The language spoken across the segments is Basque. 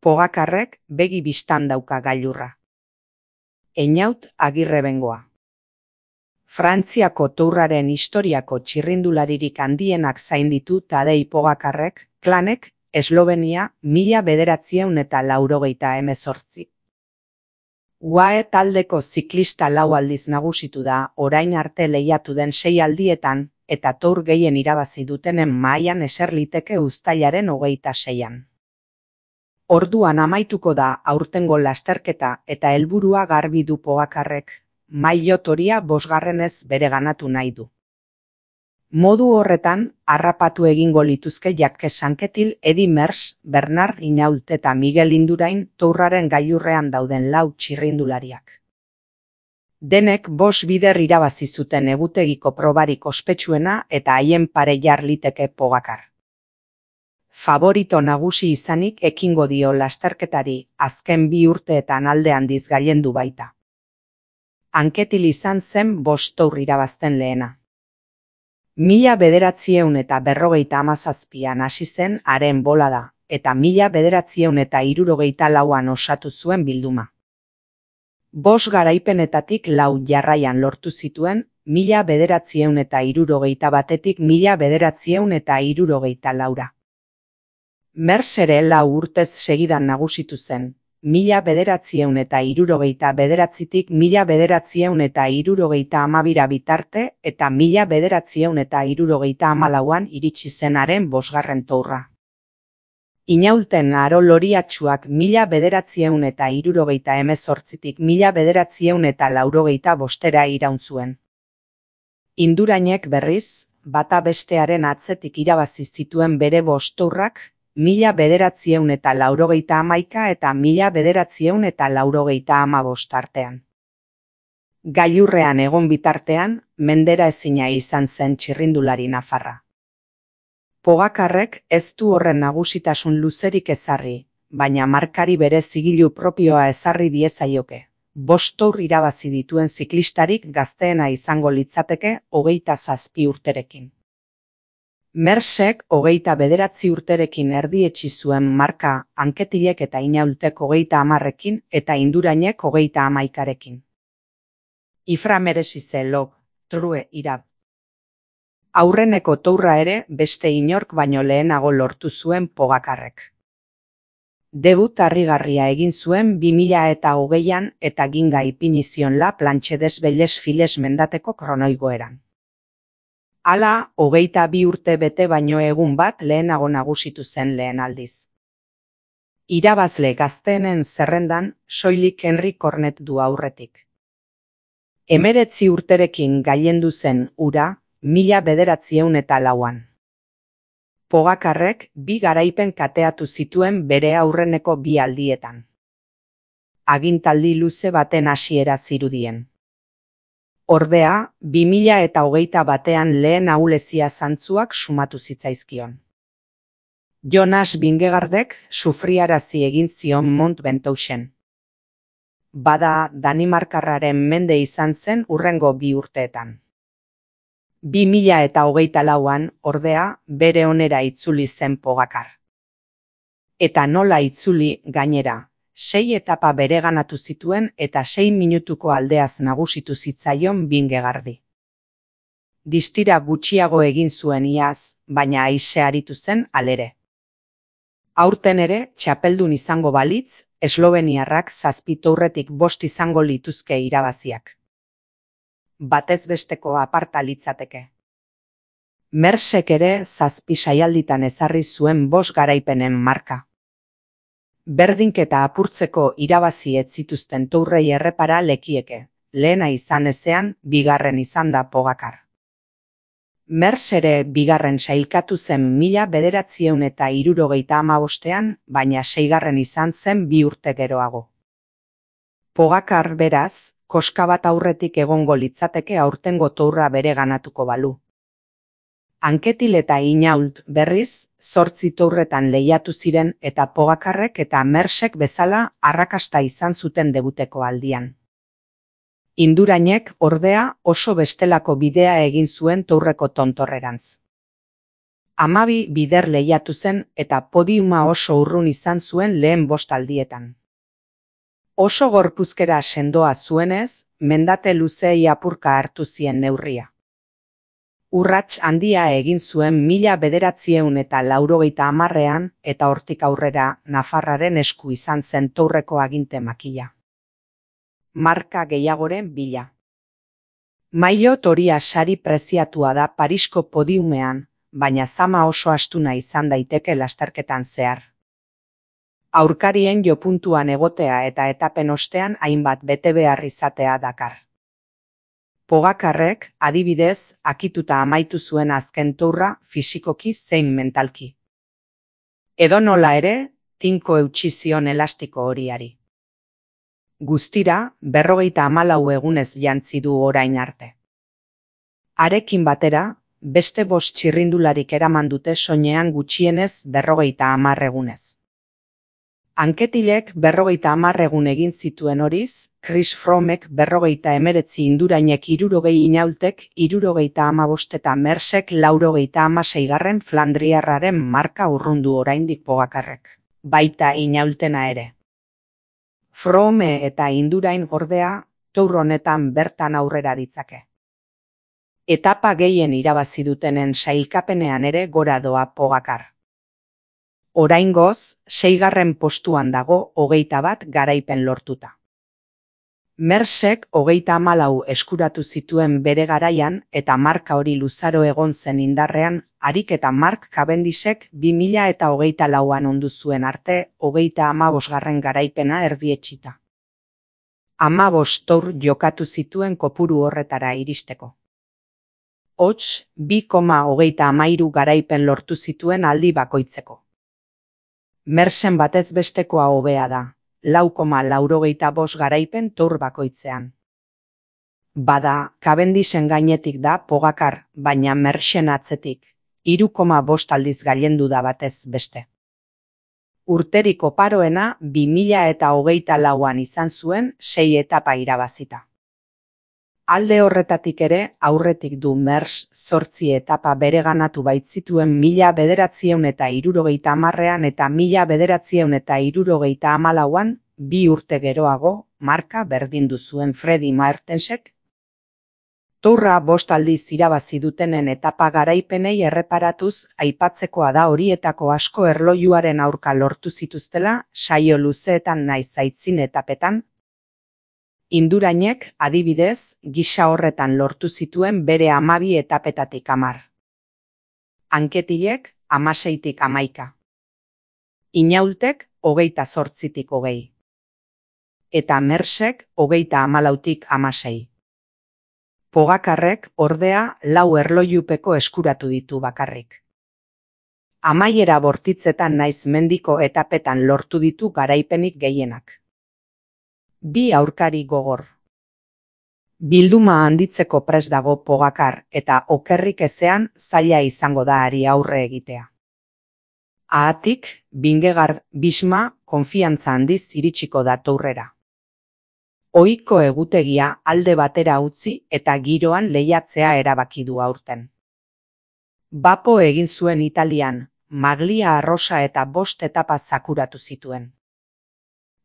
Pogakarrek begi bistan dauka gailurra. Einaut Agirrebengoa. Frantziako tourraren historiako txirrindularirik handienak zainditu Tadei Pogakarrek, klanek, Eslovenia 1988. UAE taldeko ziklista 4 aldiz nagusitu da orain arte lehiatu den 6 aldietan, eta tour gehien irabazi dutenen mahaian eser liteke uztailaren 26an. Orduan amaituko da aurtengo lasterketa eta helburua garbi du Pogakarrek, maillot horia 5. bereganatu nahi du. Modu horretan, harrapatu egingo lituzke Jacques Anquetil, Eddy Merckx, Bernard Hinault eta Miguel Indurain tourraren gailurrean dauden 4 txirrindulariak. Denek 5 bider irabazi zuten egutegiko probarik ospetsuena eta haien pare jar liteke Pogakar. Favorito nagusi izanik ekingo dio lasterketari, azken 2 urteetan alde handiz gailendu baita. Anquetil izan zen 5 tour irabazten lehena. 1957an hasi zen haren bolada, eta 1964an osatu zuen bilduma. 5 garaipenetatik 4 jarraian lortu zituen, 1961etik 1964. Merckx ere 4 urtez segidan nagusitu zen, 1969tik 1972 bitarte eta 1974an iritsi zen haren 5. tourra. Inaulten aro loriatsuak 1978tik 1985era iraun zuen. Indurainek berriz, bata bestearen atzetik irabazi zituen bere 5 tourrak, 1981 eta 1985 artean. Gailurrean egon bitartean, mendera ezina izan zen txirrindulari nafarra. Pogakarrek ez du horren nagusitasun luzerik ezarri, baina markari bere zigilu propioa ezarri diezaioke. 5 tour irabazi dituen ziklistarik gazteena izango litzateke 27 urterekin. Merckxek 29 urterekin erdietsi zuen marka, Anquetilek eta Inaultek 30ekin eta Indurainek 31ekin. Ifra merezi ze log, true irab. Aurreneko tourra ere beste inork baino lehenago lortu zuen Pogakarrek. Debut harrigarria egin zuen 2020an eta ginga ipini zion La Planche des Belles Filles mendateko kronoigoeran. Hala, 22 urte bete baino egun bat lehenago nagusitu zen lehen aldiz. Irabazle gazteenen zerrendan soilik Henry Cornet du aurretik. 19 urterekin gailendu zen hura, 1904an. Pogakarrek 2 garaipen kateatu zituen bere aurreneko 2 aldietan. Agintaldi luze baten hasiera zirudien. Ordea, 2021an lehen ahulezia zantzuak sumatu zitzaizkion. Jonas Vingegaardek sufriarazi egin zion Mont Ventouseen. Bada, Danimarkarraren mende izan zen hurrengo 2 urteetan. 2024an, ordea, bere onera itzuli zen Pogakar. Eta nola itzuli gainera, 6 etapa bereganatu zituen eta 6 minutuko aldeaz nagusitu zitzaion Vingegaardi. Distira gutxiago egin zuen iaz, baina aise aritu zen halere. Aurten ere, txapeldun izango balitz, esloveniarrak 7 tourretik 5 izango lituzke irabaziak. Batez besteko aparta litzateke. Merckxek ere 7 saialditan ezarri zuen 5 garaipenen marka. Berdinketa apurtzeko irabazi ez zituzten tourrei errepara lekieke, lehena izan ezean, 2. izan da Pogakar. Merckx ere 2. sailkatu zen 1975an, baina 6. izan zen 2 urte geroago. Pogakar beraz, koska bat aurretik egongo litzateke aurtengo tourra bere ganatuko balu. Anquetil eta Hinault berriz, 8 tourretan lehiatu ziren eta Pogakarrek eta Merckxek bezala arrakasta izan zuten debuteko aldian. Indurainek, ordea, oso bestelako bidea egin zuen tourreko tontorrerantz. 12 bider lehiatu zen eta podiuma oso urrun izan zuen lehen 5 aldietan. Oso gorpuzkera sendoa zuenez, mendate luzeei apurka hartu zien neurria. Urrats handia egin zuen 1980ean eta hortik aurrera Nafarraren esku izan zen Tourreko aginte makila. Marka gehiagoren bila. Maillot horia sari preziatua da Parisko podiumean, baina zama oso astuna izan daiteke lasterketan zehar. Aurkarien jopuntuan egotea eta etapen ostean hainbat betebehar izatea dakar. Pogacarrek, adibidez, akituta amaitu zuen azken Tourra fisikoki zein mentalki. Edonola ere, tinko eutsi zion elastiko horiari. Guztira, 54 egunez jantzi du orain arte. Harekin batera, beste 5 txirrindularik eraman dute soinean gutxienez 50 egunez. Anketilek 50 egun egin zituen horiz, Chris Froomek 59 Indurainek 60 Inaultek 75 eta Mersek 96 Flandriarraren marka urrundu oraindik Pogacarrek. Baita Inaultena ere. Froome eta Indurain ordea, Tour honetan bertan aurrera ditzake. Etapa gehien irabazi dutenen sailkapenean ere gora doa Pogacar. Oraingoz, 6. postuan dago 21 garaipen lortuta. Mersek 34 eskuratu zituen bere garaian eta marka hori luzaro egon zen indarrean, harik eta Mark Cavendishek 2024an ondu zuen arte 35. garaipena erdietsita. 15 Tour jokatu zituen kopuru horretara iristeko. Hots, 2,33 garaipen lortu zituen aldi bakoitzeko. Mersen batez bestekoa hobea da, 4,85 garaipen Tour bakoitzean. Bada, Cavendishen gainetik da Pogacar, baina Mersen atzetik, 3,5 aldiz gailendu da batez beste. Urterik oparoena 2024an izan zuen 6 etapa irabazita. Alde horretatik ere, aurretik du Mers 8 etapa bereganatu baitzituen 1970ean eta 1974an, 2 urte geroago, marka berdindu zuen Freddy Maertensek. Tourra 5 aldiz irabazi dutenen etapa garaipenei erreparatuz, aipatzekoa da horietako asko erlojuaren aurka lortu zituztela, saio luzeetan naiz aitzin etapetan. Indurainek, adibidez, gisa horretan lortu zituen bere 12 etapetatik 10. Anketilek 16tik 11. Inaultek 28tik 20. Eta Mersek 34tik 16. Pogacarrek ordea 4 erlojupeko eskuratu ditu bakarrik. Amaiera bortitzetan naiz mendiko etapetan lortu ditu garaipenik gehienak. 2 aurkari gogor. Bilduma handitzeko prest dago Pogacar eta okerrik ezean zaila izango da hari aurre egitea. Haatik, Vingegaard Bisma konfiantza handiz iritsiko da Tourrera. Ohiko egutegia alde batera utzi eta giroan lehiatzea erabaki du aurten. Bapo egin zuen Italian, Maglia arrosa eta 5 etapa zakuratu zituen.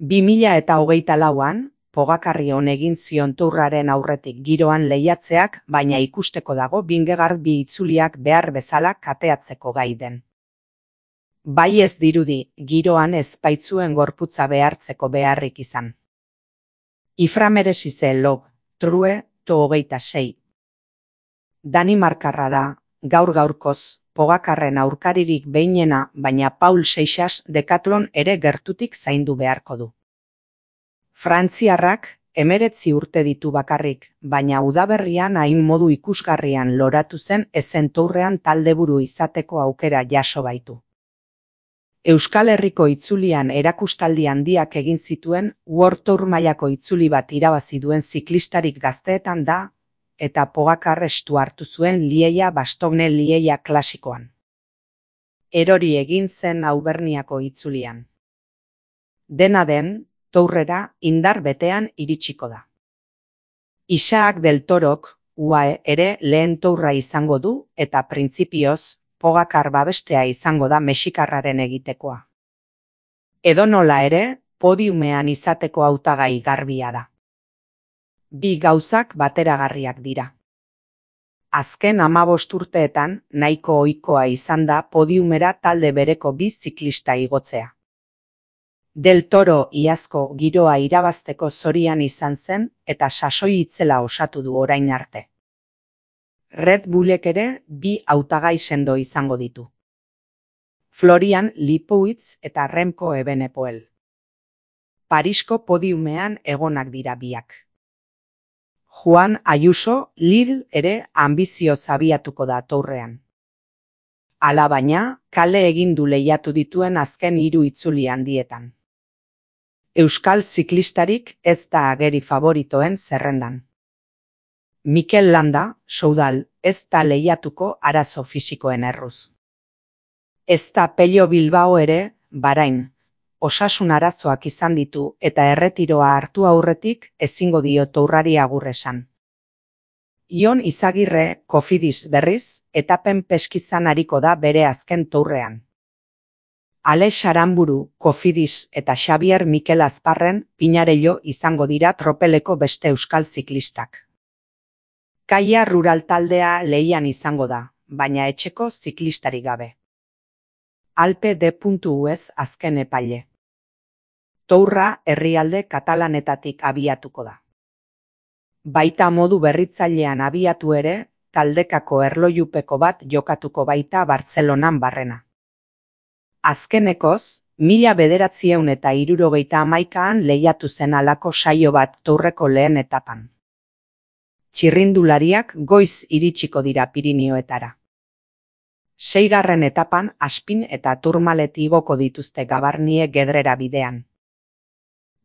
2024an, Pogacarri egin zion Tourraren aurretik giroan lehiatzeak, baina ikusteko dago Vingegaard bi itzuliak behar bezala kateatzeko gai den. Bai ez dirudi, giroan ez baitzuen gorputza behartzeko beharrik izan. Iframeresize Log, True, to 26. Danimarkarra da, gaur-gaurkoz, Pogacarren aurkaririk behinena, baina Paul Seixas Decathlon ere gertutik zaindu beharko du. Frantziarrak 19 urte ditu bakarrik, baina udaberrian hain modu ikusgarrian loratu zen ezen Tourrean taldeburu izateko aukera jaso baitu. Euskal Herriko itzulian erakustaldi handiak egin zituen World Tour mailako itzuli bat irabazi duen ziklistarik gazteetan da, eta Pogacar estu hartu zuen Lieia-Bastogne-Lieia klasikoan. Erori egin zen Auverniako itzulian. Dena den, Tourrera indar betean iritsiko da. Isaac del Torok, UAE ere lehen Tourra izango du eta printzipioz, Pogacar babestea izango da mexikarraren egitekoa. Edonola ere, podiumean izateko hautagai garbia da. Bi gauzak bateragarriak dira. Azken 15 urteetan nahiko ohikoa izan da podiumera talde bereko bi ziklista igotzea. Del Toro iazko giroa irabazteko zorian izan zen eta sasoi itzela osatu du orain arte. Red Bullek ere bi hautagai sendo izango ditu. Florian Lipowitz eta Remco Evenepoel. Parisko podiumean egonak dira biak. Juan Ayuso Lidl ere ambizioz abiatuko da tourrean. Alabaina, kale egin du lehiatu dituen azken 3 itzuli handietan. Euskal ziklistarik ez da ageri favoritoen zerrendan. Mikel Landa, Soudal, ez da lehiatuko arazo fisikoen erruz. Ez da Pello Bilbao ere, Bahrain, osasun arazoak izan ditu eta erretiroa hartu aurretik ezingo dio tourrari agur esan. Ion Izagirre, Cofidis berriz, etapen peskizan ariko da bere azken tourrean. Alex Aramburu, Cofidis eta Xabier Mikel Azparren Pinarello izango dira tropeleko beste euskal ziklistak. Kaia Rural taldea lehian izango da, baina etxeko ziklistarik gabe. Alpe D.US azken epaile. Tourra herrialde katalanetatik abiatuko da. Baita modu berritzailean abiatu ere, taldekako erlojupeko bat jokatuko baita Bartzelonan barrena. Azkenekoz, 1971an lehiatu zen halako saio bat tourreko lehen etapan. Txirrindulariak goiz iritsiko dira Pirinioetara. 6. etapan Aspin eta Tourmalet igoko dituzte Gabarnie Gedrera bidean.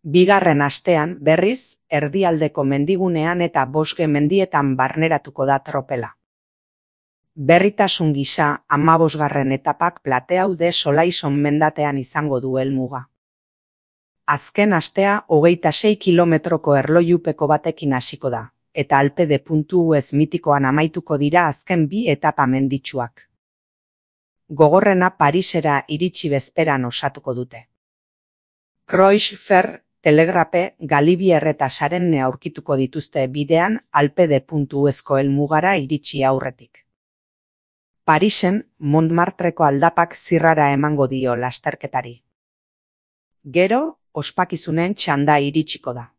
2. astean berriz, erdialdeko mendigunean eta Bosge mendietan barneratuko da tropela. Berritasun gisa 15. etapak Plateau de Solaison mendatean izango du helmuga. Azken astea 26 kilometroko erlojupeko batekin hasiko da, eta Alpe D.US mitikoan amaituko dira azken 2 etapa menditsuak. Gogorrena Parisera iritsi bezperan osatuko dute. Croix-Fer, Telegrape, Galibier eta Sarenne aurkituko dituzte bidean Alpe D.USko helmugara iritsi aurretik. Parisen, Montmartreko aldapak zirrara emango dio lasterketari. Gero, ospakizunen txanda iritsiko da.